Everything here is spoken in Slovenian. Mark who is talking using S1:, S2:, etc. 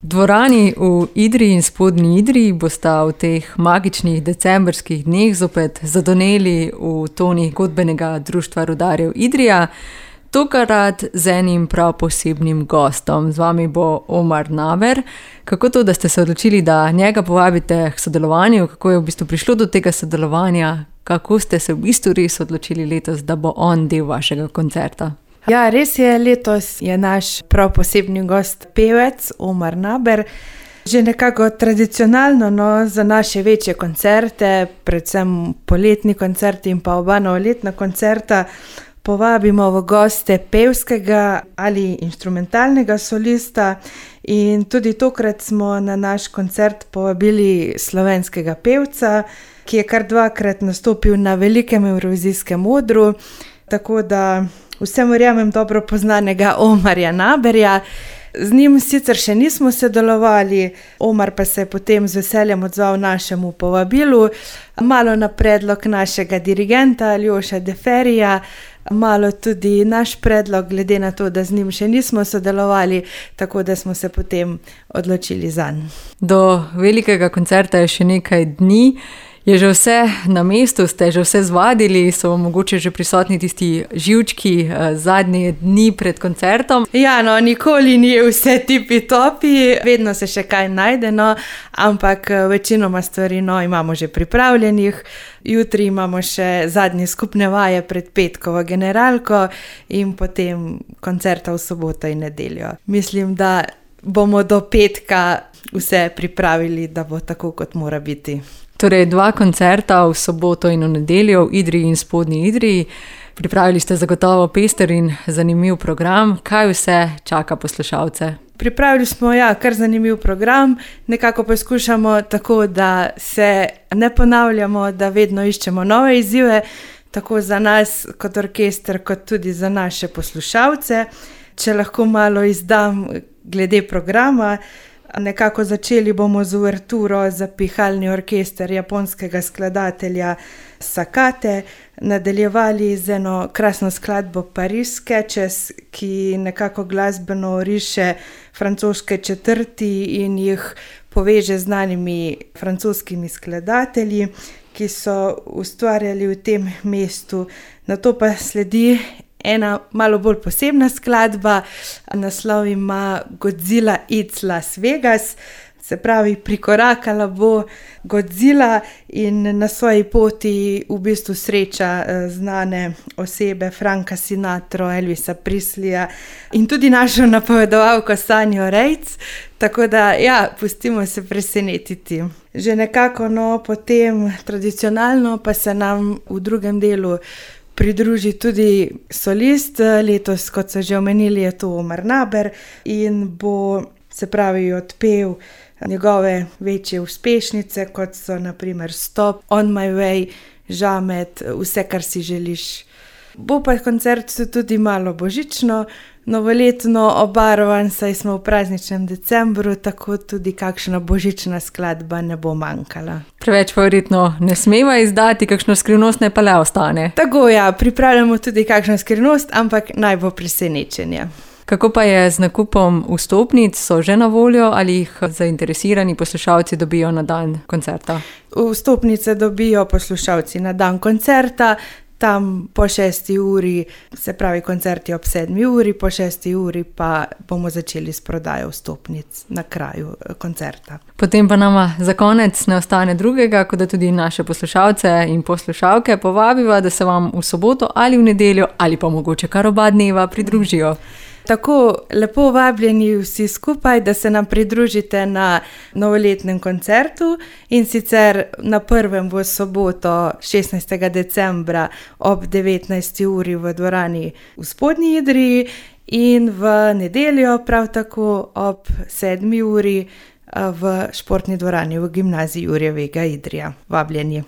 S1: Dvorani v Idriji in Spodnji Idriji bosta v teh magičnih decembrskih dneh zopet zadoneli v tonih godbenega društva rudarjev Idrija, tokrat z enim prav posebnim gostom. Z vami bo Omar Naber. Kako to, da ste se odločili, da njega povabite k sodelovanju? Kako je v bistvu prišlo do tega sodelovanja? Kako ste se v bistvu res odločili letos, da bo on del vašega koncerta?
S2: Ja, res je, letos je naš prav posebni gost pevec Omar Naber. Že nekako tradicionalno za naše večje koncerte, predvsem poletni koncerti in pa oba novoletna koncerta, povabimo v goste pevskega ali inštrumentalnega solista, in tudi tokrat smo na naš koncert povabili slovenskega pevca, ki je kar dvakrat nastopil na velikem evrovizijskem odru, tako da vsem verjamem dobro poznanega Omarja Naberja. Z njim sicer še nismo sodelovali, Omar pa se je potem z veseljem odzval našemu povabilu, malo na predlog našega dirigenta Aljoša Deferija, malo tudi naš predlog, glede na to, da z njim še nismo sodelovali, tako da smo se potem odločili zanj.
S1: Do velikega koncerta je še nekaj dni. Je že vse na mestu, ste že vse zvadili, so mogoče že prisotni tisti živčki zadnje dni pred koncertom?
S2: Ja, nikoli ni vse tipi-topi, vedno se še kaj najde, ampak večinoma stvari imamo že pripravljenih. Jutri imamo še zadnje skupne vaje pred petkovo generalko in potem koncerta v soboto in nedeljo. Mislim, da bomo do petka vse pripravili, da bo tako, kot mora biti.
S1: Torej, 2 koncerta v soboto in v nedeljo v Idriji in Spodnji Idriji. Pripravili ste zagotovo pester in zanimiv program. Kaj vse čaka poslušalce?
S2: Pripravili smo, kar zanimiv program. Nekako poskušamo tako, da se ne ponavljamo, da vedno iščemo nove izzive, tako za nas kot orkester, kot tudi za naše poslušalce. Če lahko malo izdam glede programa, nekako začeli bomo z uverturo za pihalni orkester japonskega skladatelja Sakate, nadaljevali z eno krasno skladbo Paris Sketches, ki nekako glasbeno riše francoske četrti in jih poveže z znanimi francoskimi skladatelji, ki so ustvarjali v tem mestu. Nato pa sledi ena malo bolj posebna skladba, naslov ima Godzilla It's Las Vegas, se pravi, prikorakala bo Godzilla in na svoji poti v bistvu sreča znane osebe, Franka Sinatra, Elvisa Presleyja in tudi našo napovedovalko Sanjo Rejc, tako da pustimo se presenetiti. Že nekako potem tradicionalno pa se nam v drugem delu pridruži tudi solist. Letos, kot so že omenili, je to Omar Naber in bo, se pravi, odpel njegove večje uspešnice, kot so na primer Stop, On My Way, Žamet, Vse, kar si želiš. Bo pa koncert tudi malo božično, novoletno obarvan, saj smo v prazničnem decembru, tako tudi kakšna božična skladba ne bo manjkala.
S1: Preveč pa verjetno ne smeva izdati, kakšno skrivnost ne pa le ostane.
S2: Tako, pripravljamo tudi kakšno skrivnost, ampak naj bo presenečenje.
S1: Kako pa je z nakupom vstopnic? So že na voljo ali jih zainteresirani poslušalci dobijo na dan koncerta?
S2: Vstopnice dobijo poslušalci na dan koncerta, tam po 6. uri, se pravi, koncert je ob 7. uri, po 6. uri pa bomo začeli s prodajo vstopnic na kraju koncerta.
S1: Potem pa nama za konec ne ostane drugega, kot da tudi naše poslušalce in poslušalke povabiva, da se vam v soboto ali v nedeljo ali pa mogoče kar oba dneva pridružijo.
S2: Tako, lepo vabljeni vsi skupaj, da se nam pridružite na novoletnem koncertu, in sicer na prvem v soboto 16. decembra ob 19. uri v dvorani v Spodnji Idriji in v nedeljo prav tako ob 7. uri v športni dvorani v gimnaziji Jurjevega Idrija. Vabljeni.